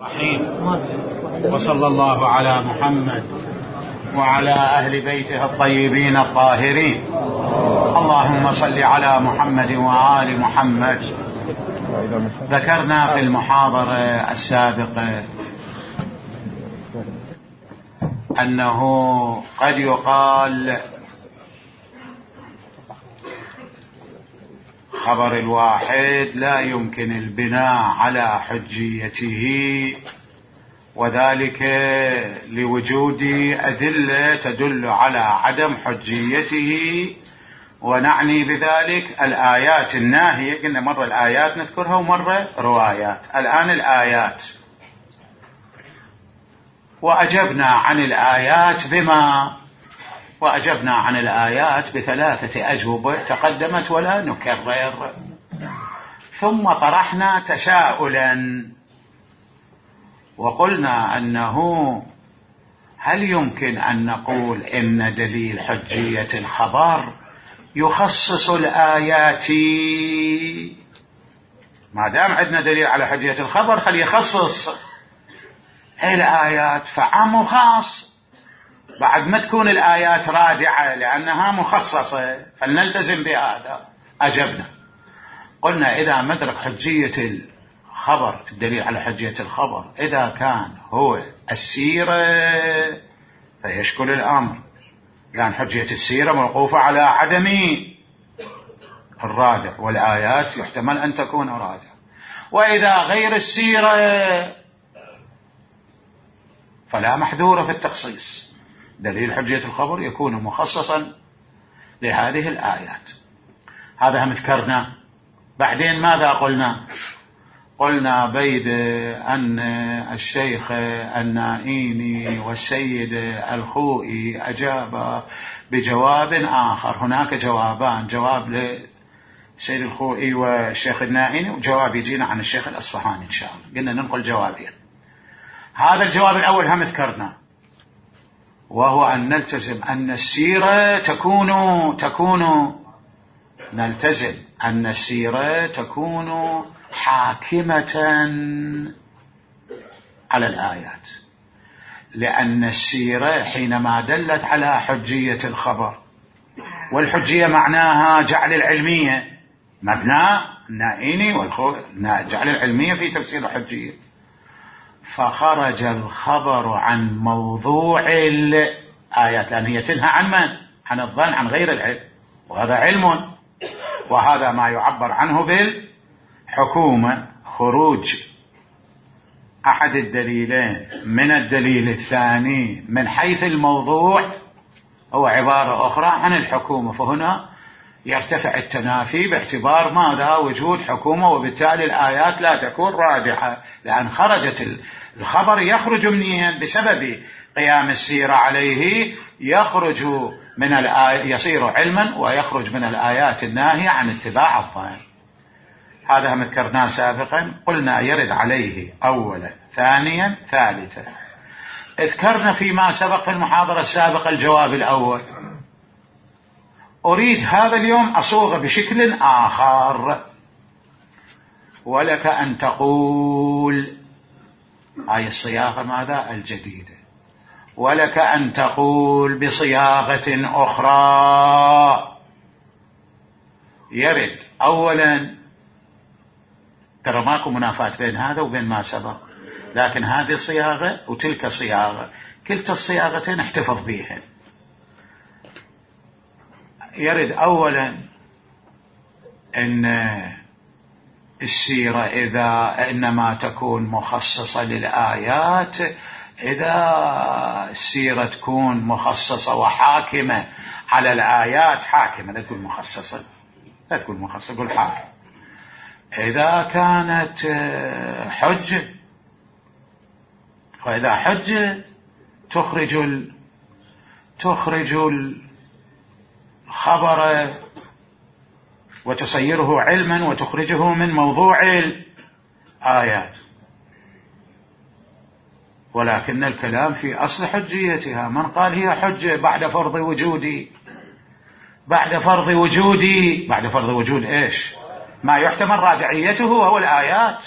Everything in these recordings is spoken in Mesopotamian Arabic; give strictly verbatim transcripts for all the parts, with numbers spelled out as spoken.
رحيم. وصلى الله على محمد وعلى أهل بيته الطيبين الطاهرين. اللهم صل على محمد وآل محمد. ذكرنا في المحاضرة السابقة أنه قد يقال خبر الواحد لا يمكن البناء على حجيته، وذلك لوجود أدلة تدل على عدم حجيته، ونعني بذلك الآيات الناهية. قلنا مرة الآيات نذكرها ومرة روايات، الآن الآيات. وأجبنا عن الآيات بما وأجبنا عن الآيات بثلاثة أجوبة تقدمت ولا نكرر. ثم طرحنا تساؤلا وقلنا أنه هل يمكن أن نقول إن دليل حجية الخبر يخصص الآيات؟ ما دام عندنا دليل على حجية الخبر خلي يخصص الآيات، فعام وخاص، بعد ما تكون الآيات رادعة لأنها مخصصة فلنلتزم بهذا. أجبنا قلنا إذا مدرك حجية الخبر، الدليل على حجية الخبر إذا كان هو السيرة فيشكل الأمر، لأن حجية السيرة موقوفة على عدم الرادع، والآيات يحتمل أن تكون رادعة. وإذا غير السيرة فلا محذور في التخصيص، دليل حجية الخبر يكون مخصصا لهذه الآيات. هذا هم ذكرنا. بعدين ماذا قلنا؟ قلنا بيد أن الشيخ النائيني والسيد الخوئي أجاب بجواب آخر. هناك جوابان، جواب للسيد الخوئي والشيخ النائيني وجواب يجينا عن الشيخ الأصفهاني إن شاء الله. قلنا ننقل جوابين. هذا الجواب الأول هم ذكرنا، وهو أن نلتزم أن السيرة تكون تكون نلتزم أن السيرة تكون حاكمة على الآيات، لأن السيرة حينما دلت على حجية الخبر، والحجية معناها جعل العلمية، مبنى النائيني والخوئي جعل العلمية في تفسير الحجية، فخرج الخبر عن موضوع الآيات، لأن هي تنهى عن من؟ عن الظن، عن غير العلم، وهذا علم، وهذا ما يعبر عنه بالحكومة. خروج أحد الدليلين من الدليل الثاني من حيث الموضوع هو عبارة أخرى عن الحكومة، فهنا يرتفع التنافي باعتبار ماذا؟ وجود حكومة، وبالتالي الآيات لا تكون رادعة، لأن خرجت الخبر يخرج منين؟ بسبب قيام السيرة عليه، يخرج من الآية يصير علما، ويخرج من الآيات الناهية عن اتباع الظاهر. هذا هم ذكرناه سابقا، قلنا يرد عليه أولا ثانيا ثالثا. اذكرنا فيما سبق في المحاضرة السابقة الجواب الأول. أريد هذا اليوم أصوغ بشكل آخر، ولك أن تقول هاي الصياغة ماذا؟ الجديدة. ولك أن تقول بصياغة أخرى. يرد أولا، ترى ماكو منافاة بين هذا وبين ما سبق، لكن هذه صياغة وتلك صياغة، كلتا الصياغتين احتفظ بيها. يرد أولا أن السيرة إذا إنما تكون مخصصة للآيات إذا السيرة تكون مخصصة وحاكمة على الآيات، حاكمة لا تكون مخصصة، لا تكون مخصصة، قل حاكم. إذا كانت حجة، وإذا حجة تخرج ال... تخرج الخبر وتصيره علما وتخرجه من موضوع الآيات، ولكن الكلام في أصل حجيتها. من قال هي حجة بعد فرض وجودي؟ بعد فرض وجودي بعد فرض وجود إيش؟ ما يحتمل راجعيته وهو الآيات.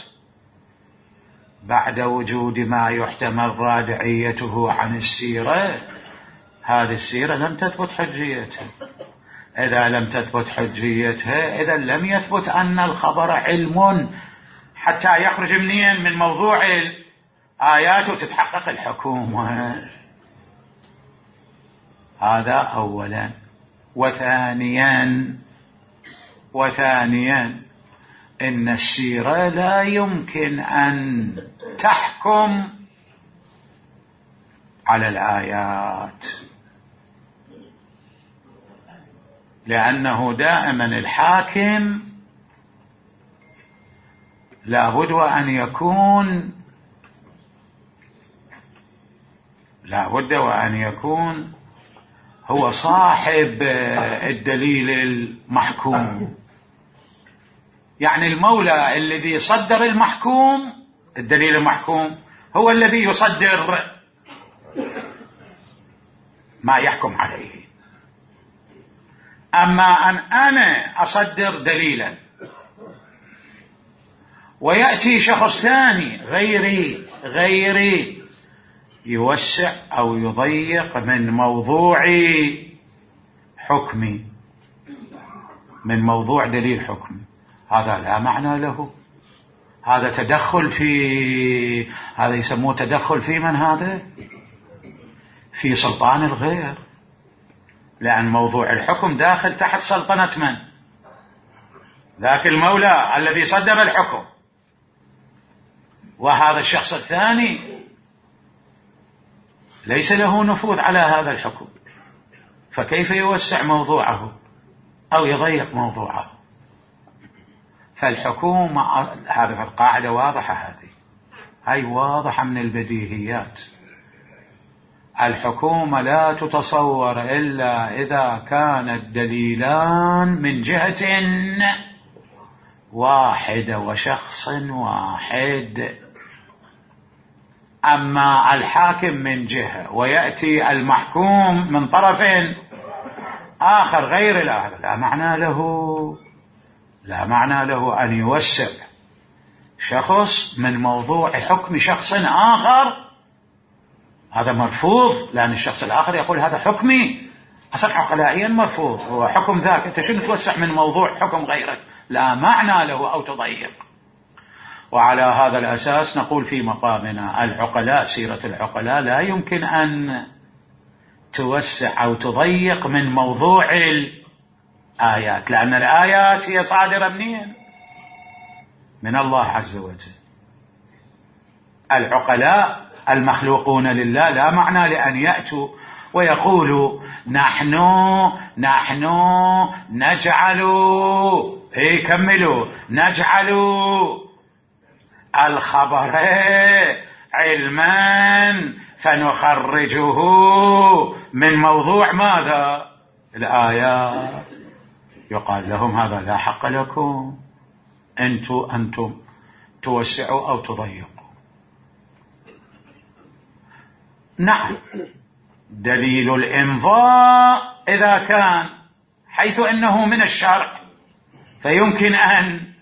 بعد وجود ما يحتمل رادعيته عن السيرة، هذه السيرة لم تثبت حجيتها. إذا لم تثبت حجيتها إذا لم يثبت أن الخبر علم حتى يخرج منين من موضوع الآيات وتتحقق الحكومة. هذا أولا. وثانيا وثانيا إن السيرة لا يمكن أن تحكم على الآيات، لأنه دائما الحاكم لابد وأن يكون لابد وأن يكون هو صاحب الدليل المحكوم. يعني المولى الذي صدر المحكوم، الدليل المحكوم، هو الذي يصدر ما يحكم عليه. أما أن أنا أصدر دليلا ويأتي شخص ثاني غيري غيري يوسع أو يضيق من موضوع حكمي، من موضوع دليل حكمي، هذا لا معنى له. هذا تدخل في هذا يسموه تدخل في من هذا في سلطان الغير، لأن موضوع الحكم داخل تحت سلطنة من؟ ذاك المولى الذي صدر الحكم، وهذا الشخص الثاني ليس له نفوذ على هذا الحكم، فكيف يوسع موضوعه أو يضيق موضوعه؟ فالحكومة هذه القاعدة واضحة، هذه هاي واضحة من البديهيات. الحكومة لا تتصور إلا إذا كان الدليلان من جهة واحدة وشخص واحد. أما الحاكم من جهة ويأتي المحكوم من طرف آخر غير لا لا معنى له لا معنى له أن يوسع شخص من موضوع حكم شخص آخر. هذا مرفوض، لأن الشخص الآخر يقول هذا حكمي، أصلا عقلائيا مرفوض، هو حكم ذاك، أنت شنو توسع من موضوع حكم غيرك؟ لا معنى له أو تضيق. وعلى هذا الأساس نقول في مقامنا العقلاء، سيرة العقلاء لا يمكن أن توسع أو تضيق من موضوع الآيات، لأن الآيات هي صادرة منين؟ من الله عز وجل. العقلاء المخلوقون لله لا معنى لأن يأتوا ويقولوا نحن نحن نجعل هي كملوا نجعل الخبر علما فنخرجه من موضوع ماذا؟ الآيات. يقال لهم هذا لا حق لكم، أنتم أنتم توسعوا أو تضيقوا. نعم، دليل الإمضاء إذا كان حيث أنه من الشرع فيمكن أن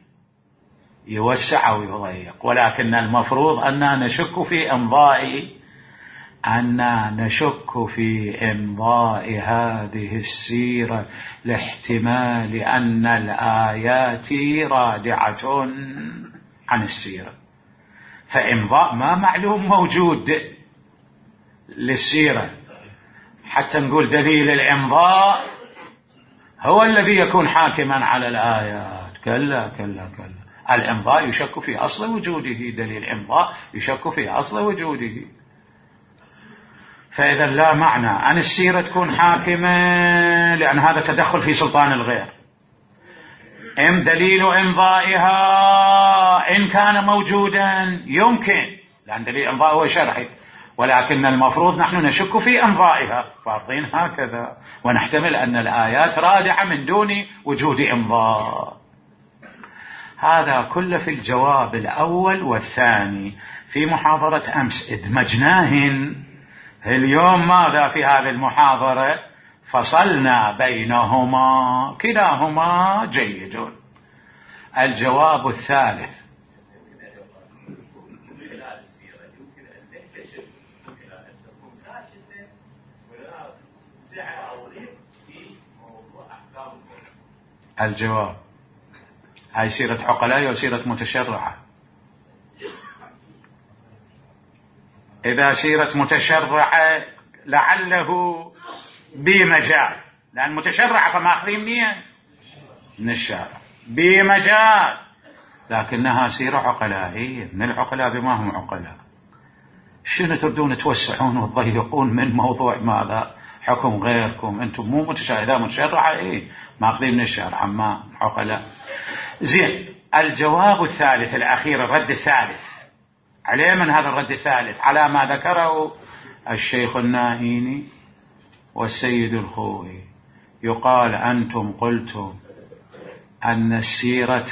يوسع أو يضيق، ولكن المفروض أننا نشك في إمضاء أننا نشك في إمضاء هذه السيرة لاحتمال أن الآيات رادعة عن السيرة، فإمضاء ما معلوم موجود للسيرة حتى نقول دليل الإمضاء هو الذي يكون حاكما على الآيات. كلا كلا كلا، الإمضاء يشك في أصل وجوده، دليل الإمضاء يشك في أصل وجوده. فإذا لا معنى أن السيرة تكون حاكمة، لأن هذا تدخل في سلطان الغير. إم دليل إمضائها إن كان موجودا يمكن، لأن دليل الإمضاء هو شرعي، ولكن المفروض نحن نشك في إمضائها، فارضين هكذا، ونحتمل أن الآيات رادعة من دون وجود إمضاء. هذا كله في الجواب الأول والثاني. في محاضرة أمس ادمجناهن، اليوم ماذا في هذه المحاضرة؟ فصلنا بينهما، كلاهما جيد. الجواب الثالث الجواب: هاي سيرة عقلاء وسيرة متشرعة. إذا سيرة متشرعة لعله بمجال، لأن متشرعة فماخذين منين؟ من الشارع، بمجال، لكنها سيرة عقلائية، من العقلاء بما هم عقلاء. شنو تردون توسعون وتضيقون من موضوع ماذا؟ حكم غيركم، أنتم مو متشرعة. إذا متشرعة إيه ماخذين من الشارع، أما عقلاء. زين، الجواب الثالث الأخير، الرد الثالث عليه من هذا الرد الثالث على ما ذكره الشيخ النائيني والسيد الخوئي. يقال: أنتم قلتم أن السيرة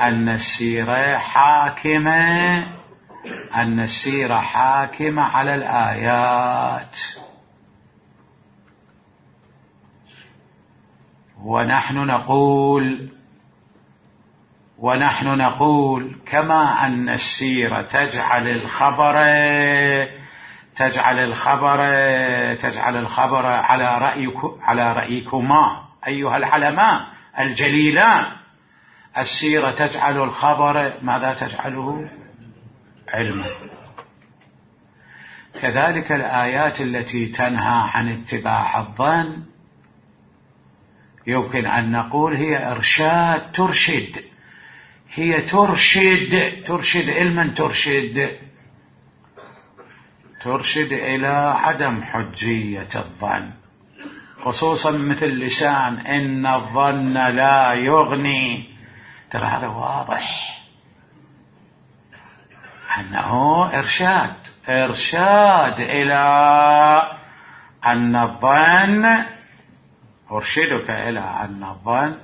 أن السيرة حاكمة أن السيرة حاكمة على الآيات، ونحن نقول ونحن نقول كما أن السيرة تجعل الخبر تجعل الخبر تجعل الخبر على رأيك على رأيكما أيها العلماء الجليلان، السيرة تجعل الخبر ماذا تجعله؟ علما. كذلك الآيات التي تنهى عن اتباع الظن يمكن أن نقول هي إرشاد، ترشد، هي ترشد ترشد علما، ترشد ترشد إلى عدم حجية الظن، خصوصا مثل لسان إن الظن لا يغني. ترى هذا واضح أنه إرشاد إرشاد إلى أن الظن، أرشدك إلى أن الظن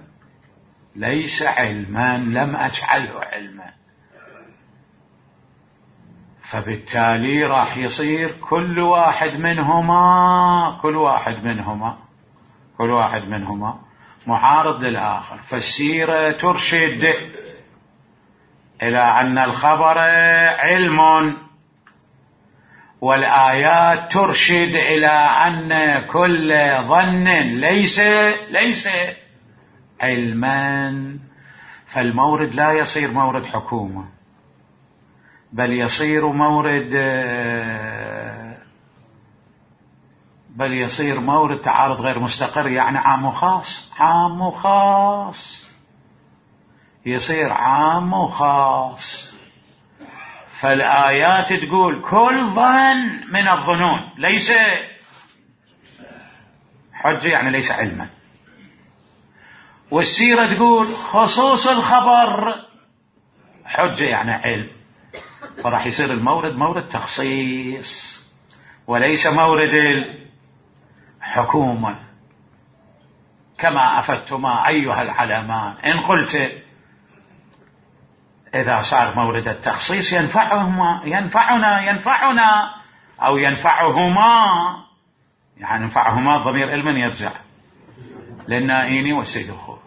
ليس علما، لم أجعله علما. فبالتالي راح يصير كل واحد منهما كل واحد منهما كل واحد منهما معارض للآخر. فالسيرة ترشد إلى أن الخبر علم، والآيات ترشد إلى أن كل ظن ليس ليس علما. فالمورد لا يصير مورد حكومة، بل يصير مورد بل يصير مورد تعارض غير مستقر، يعني عام وخاص عام وخاص يصير عام وخاص. فالآيات تقول كل ظن من الظنون ليس حجة، يعني ليس علما، والسيرة تقول خصوص الخبر حجة، يعني علم. فراح يصير المورد مورد تخصيص وليس مورد الحكومة. كما أفدتما أيها العلمان، إن قلت إذا صار مورد التخصيص ينفعهما ينفعنا ينفعنا أو ينفعهما، يعني ينفعهما ضمير علما يرجع للنائيني والسيد الخوئي،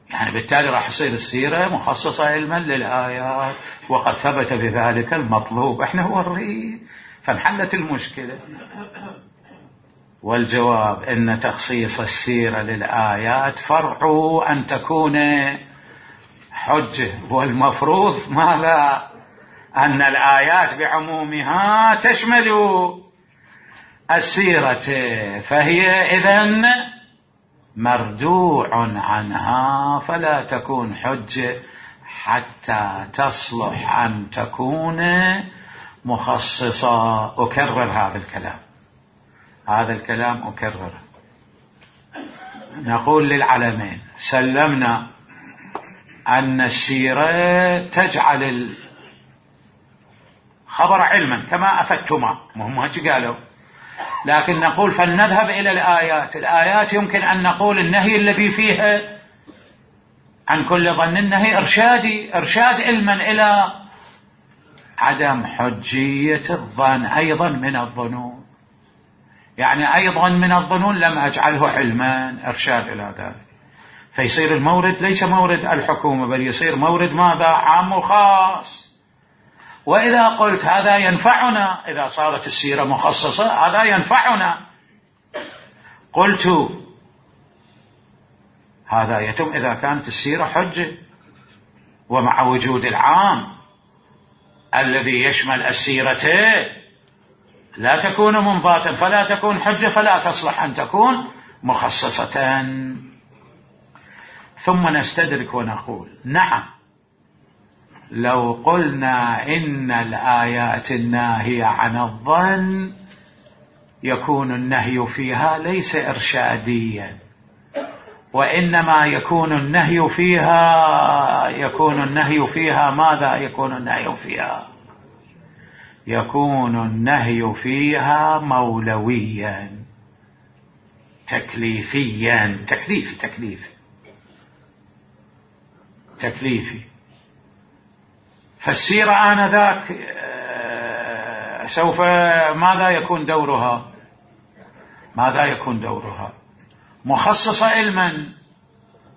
يعني بالتالي راح يصير السيرة مخصصة علما للآيات، وقد ثبت بذلك المطلوب. احنا هو الرئيس، فانحلت المشكلة. والجواب ان تخصيص السيرة للآيات فرع ان تكون حجة، والمفروض ماذا؟ أن الآيات بعمومها تشمل السيرة، فهي إذن مردوع عنها، فلا تكون حجة حتى تصلح أن تكون مخصصة. أكرر هذا الكلام هذا الكلام أكرر. نقول للعلمين: سلمنا أن السيرة تجعل الخبر علما كما أفدتما، مهم هيك قالوا، لكن نقول فلنذهب إلى الآيات. الآيات يمكن أن نقول النهي الذي فيها عن كل ظن النهي إرشادي، إرشاد علما إلى عدم حجية الظن أيضا من الظنون، يعني أيضا من الظنون لم أجعله علما، إرشاد إلى ذلك. فيصير المورد ليس مورد الحكومة، بل يصير مورد ماذا؟ عام وخاص. وإذا قلت هذا ينفعنا، إذا صارت السيرة مخصصة هذا ينفعنا، قلت هذا يتم إذا كانت السيرة حجة، ومع وجود العام الذي يشمل السيرتين لا تكون منضاتا فلا تكون حجة، فلا تصلح أن تكون مخصصة. ثم نستدرك ونقول نعم، لو قلنا إن الآيات الناهية عن الظن يكون النهي فيها ليس إرشاديا، وإنما يكون النهي فيها يكون النهي فيها ماذا يكون النهي فيها يكون النهي فيها مولويا تكليفيا، تكليفي تكليفي تكليفي. فالسيرة آنذاك سوف ماذا يكون دورها ماذا يكون دورها مخصصة علما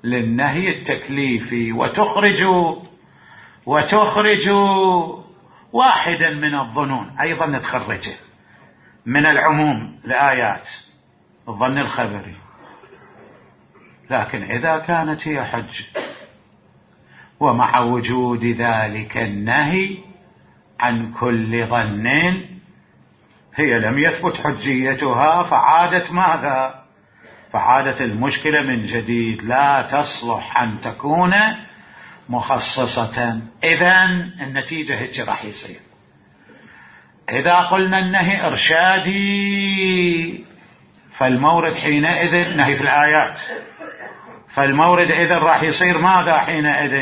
للنهي التكليفي، وتخرج وتخرج واحدا من الظنون أيضا نتخرجه من العموم الآيات، الظن الخبري. لكن إذا كانت هي حجة ومع وجود ذلك النهي عن كل ظن هي لم يثبت حجيتها، فعادت ماذا فعادت المشكلة من جديد، لا تصلح أن تكون مخصصة. إذن النتيجة هيك راح يصير. إذا قلنا النهي إرشادي فالمورد حينئذ نهي في الآيات، فالمورد إذن راح يصير ماذا حينئذ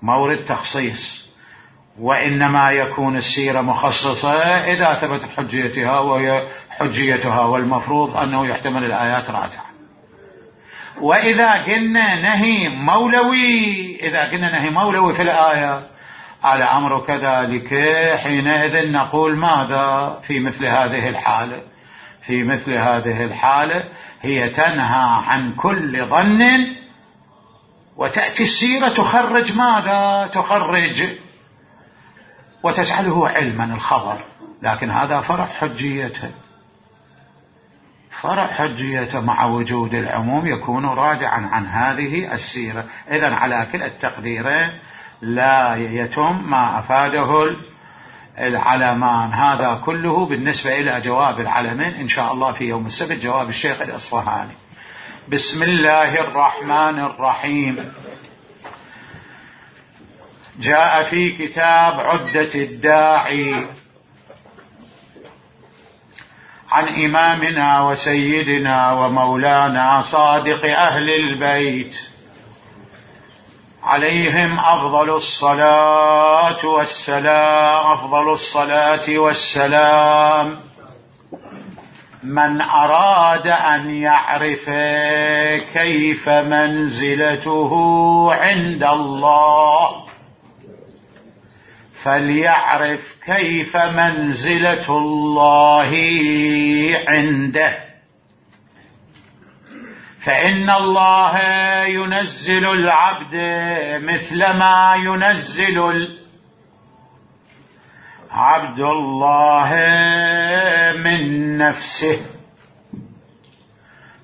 مورد تخصيص، وإنما يكون السيرة مخصصة إذا ثبتت حجيتها وهي حجيتها، والمفروض أنه يحتمل الآيات راجعة. وإذا قلنا نهي مولوي إذا قلنا نهي مولوي في الآية على أمر كذلك، حينئذ نقول ماذا في مثل هذه الحالة في مثل هذه الحالة هي تنهى عن كل ظن، وتأتي السيرة تخرج ماذا تخرج وتجعله علما الخبر، لكن هذا فرع حجيته فرع حجيته مع وجود العموم يكون راجعا عن هذه السيرة. إذن على كلا التقديرين لا يتم ما أفاده العلمان. هذا كله بالنسبة إلى جواب العلمين إن شاء الله في يوم السبت، جواب الشيخ الإصفهاني. بسم الله الرحمن الرحيم. جاء في كتاب عدة الداعي عن إمامنا وسيدنا ومولانا صادق أهل البيت عليهم أفضل الصلاة والسلام أفضل الصلاة والسلام من أراد أن يعرف كيف منزلته عند الله فليعرف كيف منزلة الله عنده، فإن الله ينزل العبد مثل ما ينزل عبد الله من نفسه.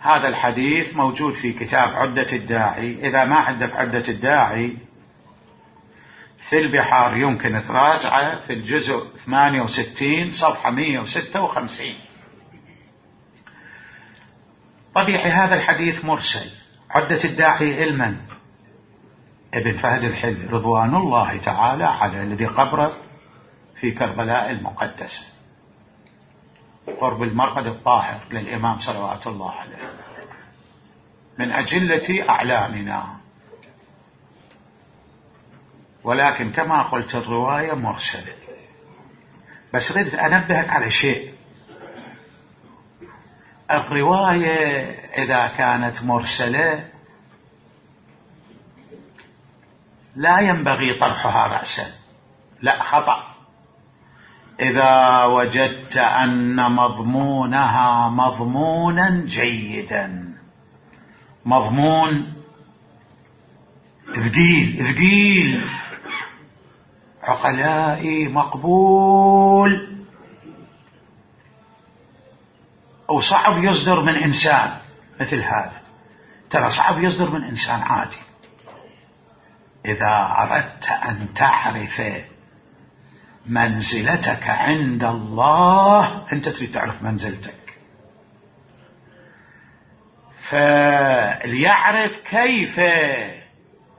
هذا الحديث موجود في كتاب عدة الداعي. إذا ما عندك عدة الداعي في البحار يمكن تراجعه في الجزء ثمانية وستين صفحة مئة وستة وخمسين. طبيعي هذا الحديث مرسل. عدة الداعي علما ابن فهد الحل رضوان الله تعالى على الذي قبره في كربلاء المقدسة قرب المرقد الطاهر للإمام صلوات الله عليه، من أجلة أعلامنا، ولكن كما قلت الرواية مرسلة. بس ردت أنبهك على شيء، الرواية إذا كانت مرسلة لا ينبغي طرحها رأسا، لا خطأ. إذا وجدت أن مضمونها مضمونا جيدا، مضمون ثقيل ثقيل عقلائي مقبول أو صعب يصدر من إنسان مثل هذا، ترى صعب يصدر من إنسان عادي. إذا أردت أن تعرف منزلتك عند الله أنت تريد تعرف منزلتك، فليعرف كيف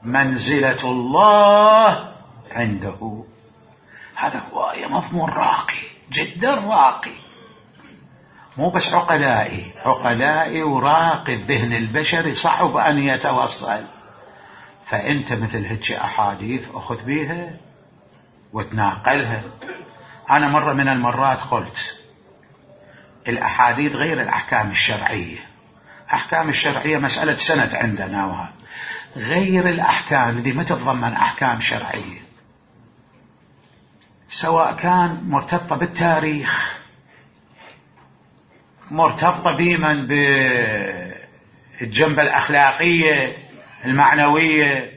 منزلة الله عنده. هذا هو مضمون راقي جدا راقي، مو بس عقلائي عقلائي وراقي الذهن البشري صعب أن يتوصل. فأنت مثل هيك أحاديث أخذ بيها وتناقلها. أنا مرة من المرات قلت الأحاديث غير الأحكام الشرعية. أحكام الشرعية مسألة سند عندنا، وهذا غير الأحكام التي ما تتضمن أحكام شرعية، سواء كان مرتبطة بالتاريخ، مرتبطة بمن بالجنبة الأخلاقية المعنوية.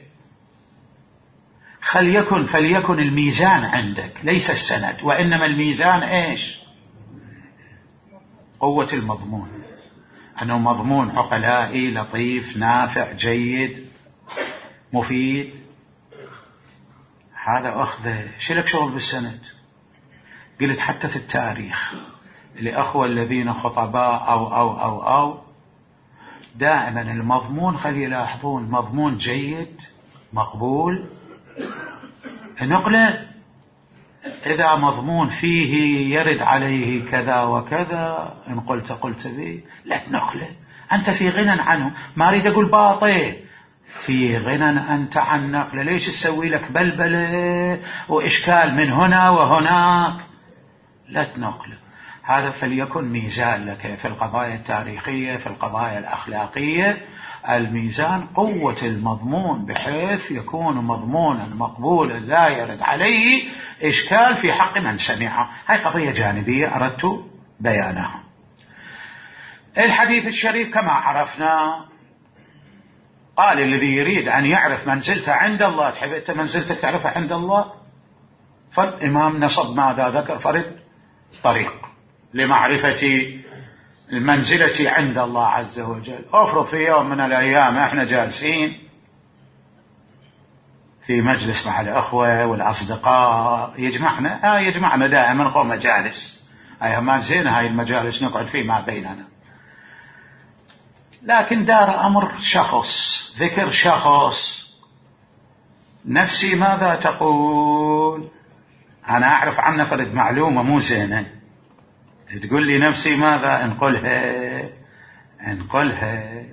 خليكن فليكن الميزان عندك ليس السند، وإنما الميزان إيش؟ قوة المضمون، أنه مضمون عقلائي لطيف نافع جيد مفيد. هذا أخذه. شلك شغل بالسند؟ قلت حتى في التاريخ لأخوة الذين خطباء أو أو أو أو دائما المضمون خلي يلاحظون مضمون جيد مقبول نقله. إذا مضمون فيه يرد عليه كذا وكذا إن قلت قلت به لا تنقله، أنت في غنى عنه. ما أريد أقول باطل، في غنى أنت عن نقله. ليش تسوي لك بلبلة وإشكال من هنا وهناك؟ لا تنقله. هذا فليكن ميزان لك في القضايا التاريخية، في القضايا الأخلاقية. الميزان قوة المضمون بحيث يكون مضمونا مقبولا لا يرد عليه إشكال في حق من سمعه. هاي قضية جانبية أردت بيانها. الحديث الشريف كما عرفنا قال الذي يريد أن يعرف منزلته عند الله، تحب أنت منزلتك تعرفها عند الله؟ فالإمام نصب ماذا ذكر؟ فرد طريق لمعرفة المنزلة عند الله عز وجل. أفرض في يوم من الأيام احنا جالسين في مجلس مع الأخوة والأصدقاء يجمعنا آه يجمعنا دائما قوم مجالس، أي ما زينة هاي المجالس نقعد فيه ما بيننا، لكن دار أمر شخص، ذكر شخص، نفسي ماذا تقول؟ أنا أعرف عنه فرد معلومة مو زينة، تقول لي نفسي ماذا؟ انقلها انقلها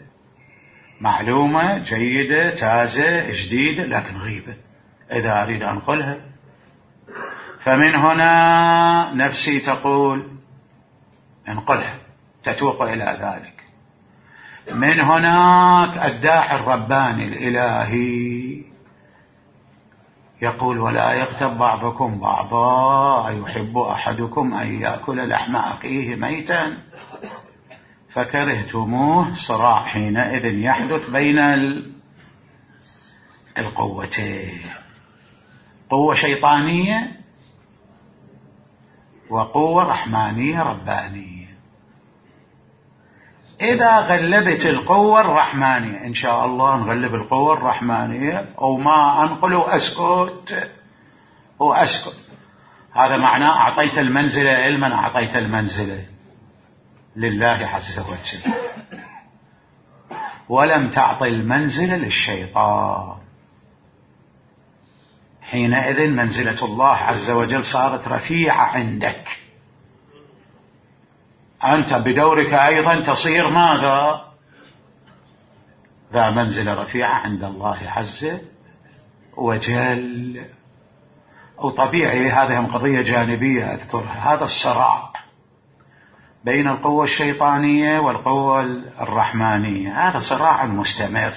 معلومة جيدة تازة جديدة لكن غيبة، إذا أريد أنقلها. فمن هنا نفسي تقول انقلها، تتوق إلى ذلك. من هناك الداعي الرباني الإلهي يقول ولا يغتب بعضكم بعضا أيحب أحدكم أن يأكل لحم أخيه ميتا فكرهتموه. صراع حينئذ يحدث بين القوتين، قوة شيطانية وقوة رحمانية ربانية. إذا غلبت القوة الرحمانية إن شاء الله نغلب القوة الرحمانية، أو ما أنقل وأسكت وأسكت، هذا معناه أعطيت المنزلة علما، أعطيت المنزلة لله عز وجل، ولم تعطي المنزلة للشيطان. حينئذ منزلة الله عز وجل صارت رفيعة عندك، أنت بدورك أيضا تصير ماذا؟ ذا منزلة رفيعة عند الله عز وجل. وطبيعي هذه هم قضية جانبية أذكرها، هذا الصراع بين القوة الشيطانية والقوة الرحمانية هذا صراع مستمر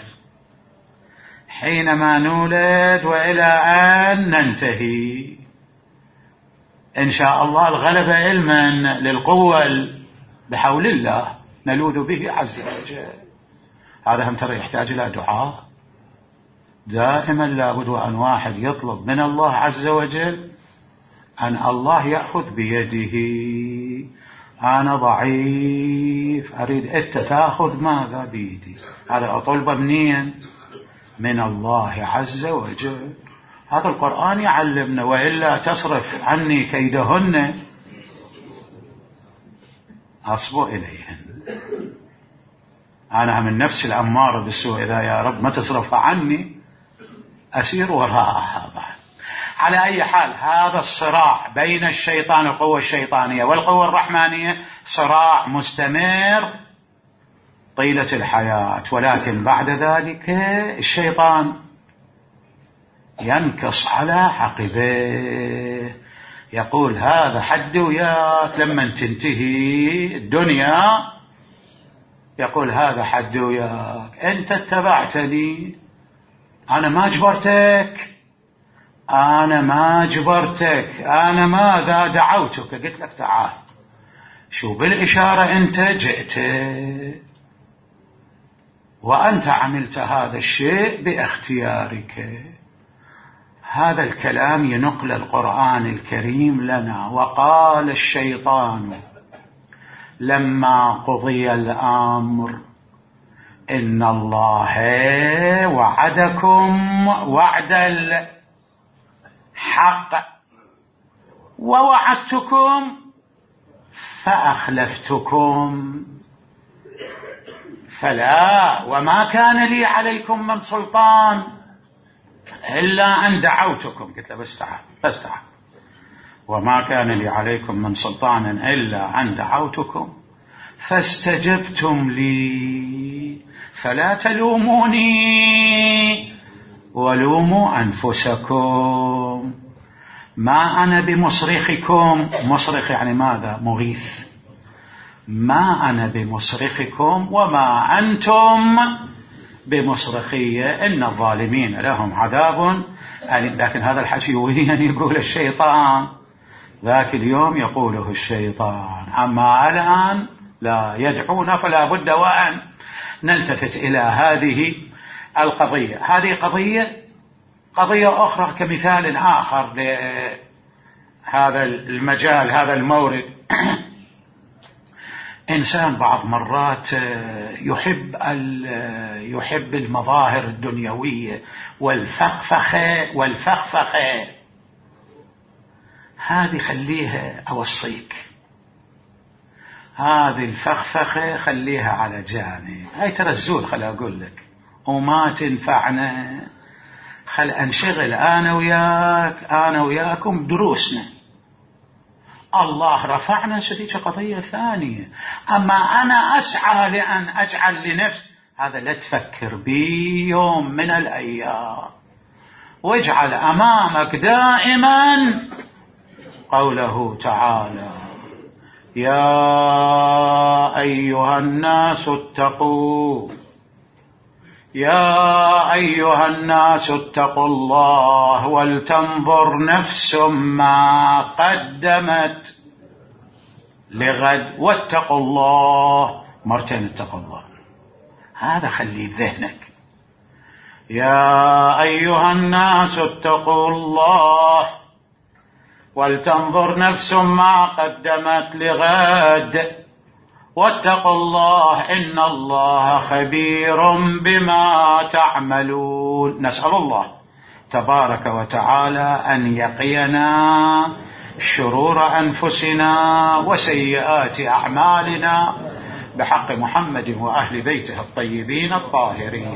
حينما نولد وإلى أن ننتهي إن شاء الله. الغلبة علما للقوة بحول الله نلوذ به عز وجل. هذا هم ترى يحتاج إلى دعاء دائما، لابد أن واحد يطلب من الله عز وجل أن الله يأخذ بيده أنا ضعيف أريد أنت تأخذ ماذا بيدي، هذا أطلب منين؟ من الله عز وجل. هذا القرآن يعلمنا، وإلا تصرف عني كيدهن أصب إليهن. أنا من نفس الأمارة بالسوء، إذا يا رب ما تصرفها عني أسير وراءها بعد. على أي حال، هذا الصراع بين الشيطان والقوة الشيطانية والقوة الرحمانية صراع مستمر طيلة الحياة، ولكن بعد ذلك الشيطان ينكص على عقبيه، يقول هذا حد وياك. لما تنتهي الدنيا يقول هذا حد وياك، أنت اتبعتني، أنا ما جبرتك، أنا ما جبرتك، أنا ماذا دعوتك، قلت لك تعال، شو بالإشارة أنت جئت وأنت عملت هذا الشيء باختيارك. هذا الكلام ينقل القرآن الكريم لنا. وقال الشيطان لما قضي الأمر إن الله وعدكم وعد الحق ووعدتكم فأخلفتكم فلا وما كان لي عليكم من سلطان إلا أن دعوتكم. قلت له بس تعال بس تعال، وما كان لي عليكم من سلطان إلا أن دعوتكم فاستجبتم لي فلا تلوموني ولوموا أنفسكم، ما أنا بمصرخكم. مصرخ يعني ماذا؟ مغيث. ما أنا بمصرخكم وما أنتم بمصرخية، إن الظالمين لهم عذاب أليم. لكن هذا الحكي وين يقول الشيطان؟ ذاك اليوم يقوله الشيطان، أما الآن لا يدعونا، فلا بد وأن نلتفت إلى هذه القضية. هذه قضية قضية أخرى كمثال آخر لهذا المجال، هذا المورد. إنسان بعض مرات يحب يحب المظاهر الدنيوية والفخفخة والفخفخة هذه خليها، أوصيك هذه الفخفخة خليها على جانب، هاي ترى الزول، خل أقول لك وما تنفعنا. خل أنشغل أنا وياك أنا وياكم دروسنا. الله رفعنا شديد قضية ثانية. أما أنا أسعى لأن أجعل لنفسي، هذا لا تفكر بي يوم من الأيام. واجعل أمامك دائما قوله تعالى يا أيها الناس اتقوا يا أيها الناس اتقوا الله ولتنظر نفس ما قدمت لغد واتقوا الله. مرتين اتقوا الله، هذا خلي ذهنك. يا أيها الناس اتقوا الله ولتنظر نفس ما قدمت لغد واتقوا الله إن الله خبير بما تعملون. نسأل الله تبارك وتعالى أن يقينا شرور أنفسنا وسيئات أعمالنا بحق محمد وأهل بيته الطيبين الطاهرين.